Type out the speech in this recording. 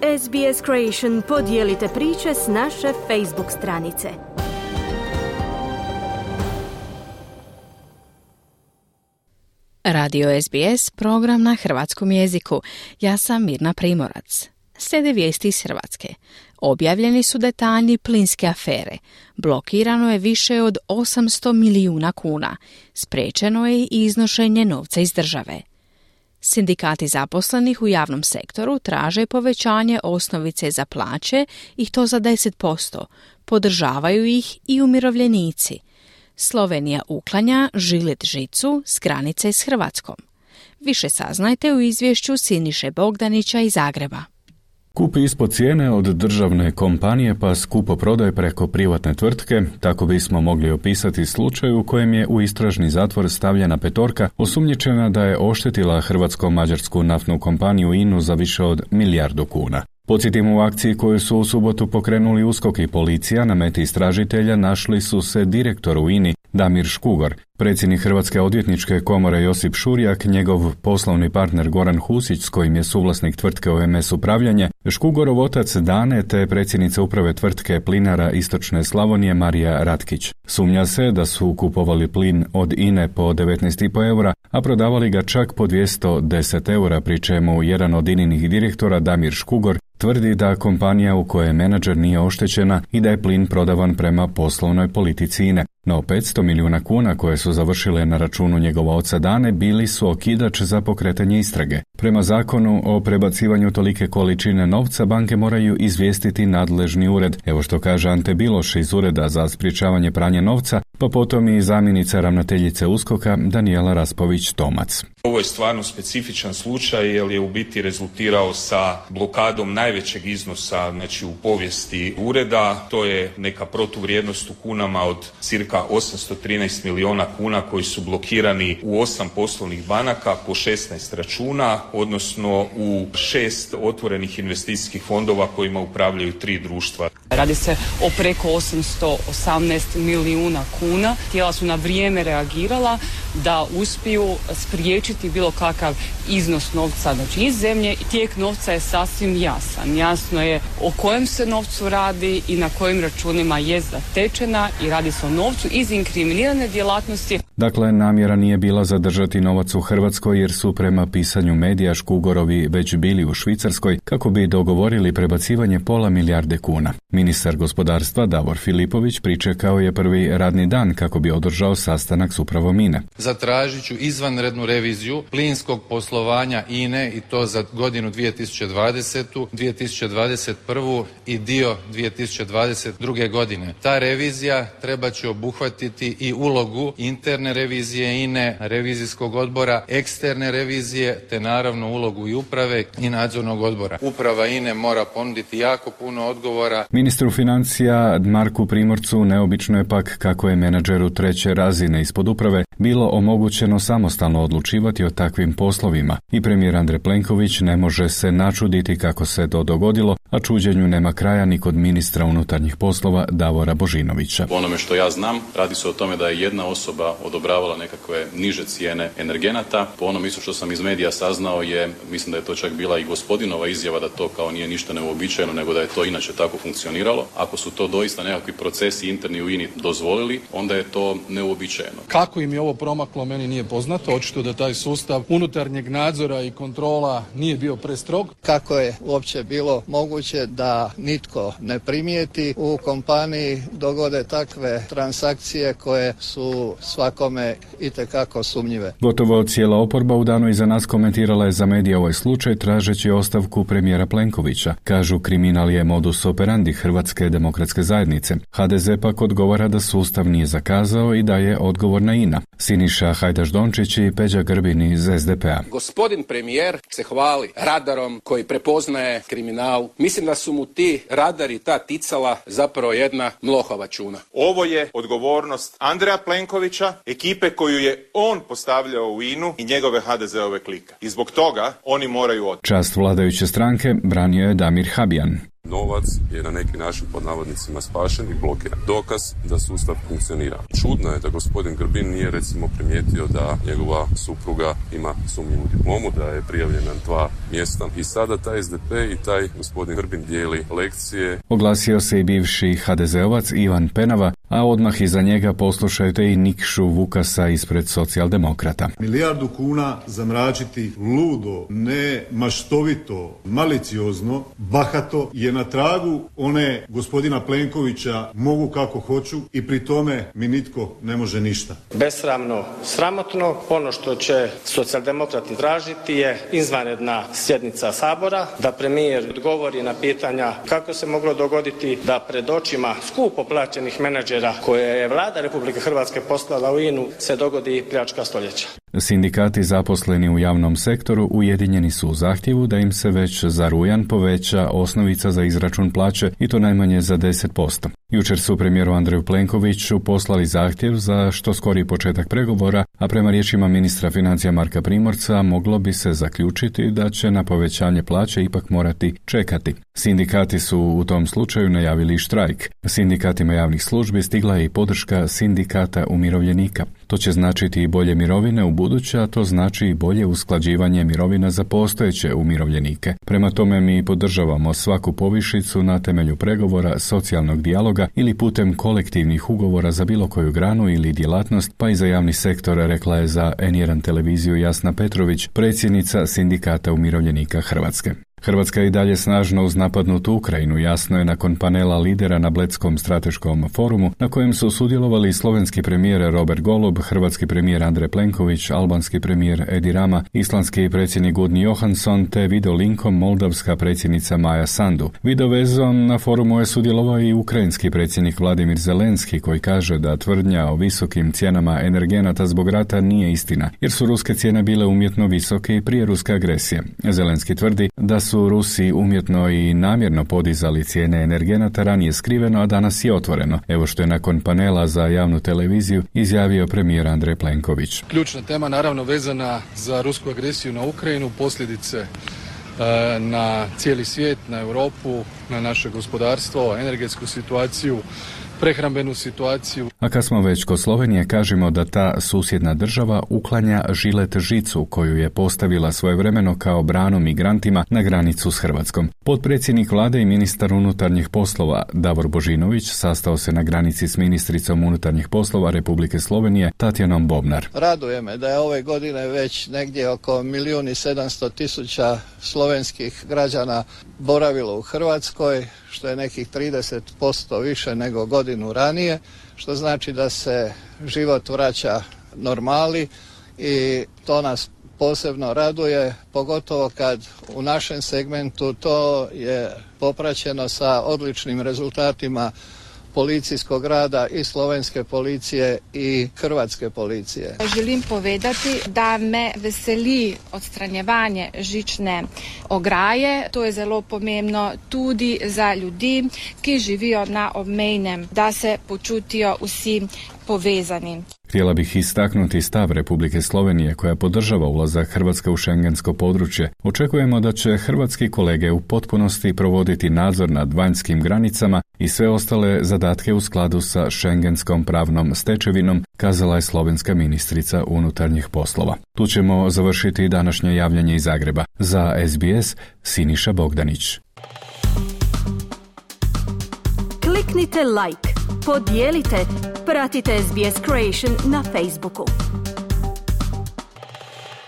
SBS Creation podijelite priče s naše Facebook stranice. Radio SBS, program na hrvatskom jeziku. Ja sam Mirna Primorac. Slijede vijesti iz Hrvatske. Objavljeni su detalji plinske afere. Blokirano je više od 800 milijuna kuna. Spriječeno je i iznošenje novca iz države. Sindikati zaposlenih u javnom sektoru traže povećanje osnovice za plaće i to za 10%. Podržavaju ih i umirovljenici. Slovenija uklanja žilet žicu s granice s Hrvatskom. Više saznajte u izvješću Siniše Bogdanića iz Zagreba. Kupi ispod cijene od državne kompanije pa skupo prodaje preko privatne tvrtke, tako bismo mogli opisati slučaj u kojem je u istražni zatvor stavljena petorka osumnjičena da je oštetila hrvatsko-mađarsku naftnu kompaniju INA-u za više od 1 milijardu kuna. Podsjetimo, u akciji koju su u subotu pokrenuli USKOK i policija, na meti istražitelja našli su se direktor u INA-i Damir Škugor, predsjednik Hrvatske odvjetničke komore Josip Šurjak, njegov poslovni partner Goran Husić s kojim je suvlasnik tvrtke OMS Upravljanje, Škugorov otac Dane te predsjednica uprave tvrtke Plinara Istočne Slavonije Marija Ratkić. Sumnja se da su kupovali plin od INA-e po 19,5 eura, a prodavali ga čak po 210 eura, pri čemu jedan od INA-inih direktora Damir Škugor tvrdi da kompanija u kojoj menadžer nije oštećena i da je plin prodavan prema poslovnoj politici INA-e. No 500 milijuna kuna koje su završile na računu njegova oca Dane bili su okidač za pokretanje istrage. Prema zakonu o prebacivanju tolike količine novca banke moraju izvijestiti nadležni ured. Evo što kaže Ante Biloš iz Ureda za sprječavanje pranja novca, pa potom i zamjenica ravnateljice USKOK-a Danijela Raspović-Tomac. Ovo je stvarno specifičan slučaj jer je u biti rezultirao sa blokadom najvećeg iznosa u povijesti ureda. To je neka protuvrijednost u kunama od cirka 813 milijuna kuna koji su blokirani u 8 poslovnih banaka po 16 računa, odnosno u 6 otvorenih investicijskih fondova kojima upravljaju 3 društva. Radi se o preko 818 milijuna kuna. Tijela su na vrijeme reagirala da uspiju spriječiti bilo kakav iznos novca iz zemlje. Tijek novca je sasvim jasan. Jasno je o kojem se novcu radi i na kojim računima je zatečena i radi se o novcu iz inkriminirane djelatnosti. Dakle, namjera nije bila zadržati novac u Hrvatskoj jer su prema pisanju medija Škugorovi već bili u Švicarskoj kako bi dogovorili prebacivanje pola milijarde kuna. Ministar gospodarstva Davor Filipović pričekao je prvi radni dan kako bi održao sastanak s upravom INA-e. Zatražit ću izvanrednu reviziju plinskog poslovanja INA-e i to za godinu 2020., 2021. i dio 2022. godine. Ta revizija treba će obuhvatiti i ulogu interne revizije INA-e, revizijskog odbora, eksterne revizije, te naravno ulogu i uprave i nadzornog odbora. Uprava INA-e mora ponuditi jako puno odgovora. Ministru financija Marku Primorcu neobično je pak kako je menadžeru treće razine ispod uprave bilo omogućeno samostalno odlučivati o takvim poslovima i premijer Andrej Plenković ne može se načuditi kako se to dogodilo, a čuđenju nema kraja ni kod ministra unutarnjih poslova Davora Božinovića. Po onome što ja znam, radi se o tome da je jedna osoba odobravala nekakve niže cijene energenata. Po onom isto što sam iz medija saznao je, mislim da je to čak bila i gospodinova izjava da to kao nije ništa neuobičajeno, nego da je to inače tako funkcioniralo. Ako su to doista nekakvi procesi interni u INA-i dozvolili, onda je to neuobičajeno. Kako im je ovo promaklo, meni nije poznato. Očito da taj sustav unutarnjeg nadzora i kontrola nije bio prestrog. Kako je uopće bilo moguće da nitko ne primijeti u kompaniji dogode takve transakcije koje su svakome itekako sumnjive. Gotovo cijela oporba u danu iza nas komentirala je za medije ovaj slučaj tražeći ostavku premijera Plenkovića. Kažu, kriminal je modus operandi Hrvatske demokratske zajednice. HDZ pak odgovara da sustav nije zakazao i da je odgovorna INA. Siniša Hajdaš-Dončić i Peđa Grbin iz SDP-a. Gospodin premijer se hvali radarom koji prepoznaje kriminal. Mislim da su mu ti radari, ta ticala zapravo jedna mlohava čuna. Ovo je odgovornost Andreja Plenkovića, ekipe koju je on postavljao u INA-u i njegove HDZ-ove klike. I zbog toga oni moraju otići. Čast vladajuće stranke branio je Damir Habijan. Novac je na neki način pod navodnicima spašen i blokiran. Dokaz da sustav funkcionira. Čudno je da gospodin Grbin nije recimo primijetio da njegova supruga ima sumnjivu diplomu, da je prijavljen na 2 mjesta i sada taj SDP i taj gospodin Grbin dijeli lekcije. Oglasio se i bivši HDZ-ovac Ivan Penava, a odmah iza njega poslušajte i Nikšu Vukasa ispred Socijaldemokrata. Milijardu kuna zamračiti ludo, ne maštovito, maliciozno, bahato je na tragu one gospodina Plenkovića mogu kako hoću i pri tome mi nitko ne može ništa. Besramno, sramotno, ono što će Socijaldemokrati tražiti je izvanredna sjednica Sabora, da premijer odgovori na pitanja kako se moglo dogoditi da pred očima skupo plaćenih menadžera koje je vlada Republike Hrvatske poslala u INA-u se dogodi pljačka stoljeća. Sindikati zaposleni u javnom sektoru ujedinjeni su u zahtjevu da im se već za rujan poveća osnovica za izračun plaće i to najmanje za 10%. Jučer su premijeru Andreju Plenkoviću poslali zahtjev za što skoriji početak pregovora, a prema riječima ministra financija Marka Primorca moglo bi se zaključiti da će na povećanje plaće ipak morati čekati. Sindikati su u tom slučaju najavili štrajk. Sindikatima javnih službi stigla je i podrška sindikata umirovljenika. To će značiti i bolje mirovine u buduće, a to znači i bolje usklađivanje mirovina za postojeće umirovljenike. Prema tome mi podržavamo svaku povišicu na temelju pregovora, socijalnog dijaloga ili putem kolektivnih ugovora za bilo koju granu ili djelatnost, pa i za javni sektor, rekla je za N1 televiziju Jasna Petrović, predsjednica Sindikata umirovljenika Hrvatske. Hrvatska je i dalje snažno uz napadnutu Ukrajinu, jasno je nakon panela lidera na Bledskom strateškom forumu, na kojem su sudjelovali slovenski premijer Robert Golob, hrvatski premijer Andrej Plenković, albanski premijer Edi Rama, islandski predsjednik Gudni Johansson te videolinkom moldavska predsjednica Maja Sandu. Videovezom na forumu je sudjelovao i ukrajinski predsjednik Vladimir Zelenski, koji kaže da tvrdnja o visokim cijenama energenata zbog rata nije istina, jer su ruske cijene bile umjetno visoke i prije ruske agresije. Zelenski tvrdi da su Rusi umjetno i namjerno podizali cijene energenata ranije skriveno, a danas je otvoreno. Evo što je nakon panela za javnu televiziju izjavio premijer Andrej Plenković. Ključna tema naravno vezana za rusku agresiju na Ukrajinu, posljedice na cijeli svijet, na Europu, na naše gospodarstvo, energetsku situaciju, prehrambenu situaciju. A kad smo već kod Slovenije, kažemo da ta susjedna država uklanja žilet žicu koju je postavila svojevremeno kao branu migrantima na granicu s Hrvatskom. Potpredsjednik vlade i ministar unutarnjih poslova Davor Božinović sastao se na granici s ministricom unutarnjih poslova Republike Slovenije Tatjanom Bobnar. Raduje me da je ove godine već negdje oko 1.700.000 slovenskih građana boravilo u Hrvatskoj, što je nekih 30% više nego godinu ranije, što znači da se život vraća normali i to nas posebno raduje, pogotovo kad u našem segmentu to je popraćeno sa odličnim rezultatima policijskog rada i slovenske policije i hrvatske policije. Želim povedati, da me veseli odstranjevanje žične ograje. To je zelo pomembno tudi za ljudi, ki živijo na obmejnem, da se počutijo vsi povezani. Htjela bih istaknuti stav Republike Slovenije koja podržava ulazak Hrvatske u šengensko područje. Očekujemo da će hrvatski kolege u potpunosti provoditi nadzor nad vanjskim granicama i sve ostale zadatke u skladu sa šengenskom pravnom stečevinom, kazala je slovenska ministrica unutarnjih poslova. Tu ćemo završiti današnje javljanje iz Zagreba. Za SBS, Siniša Bogdanić. Kliknite like, podijelite, pratite SBS Creation na Facebooku.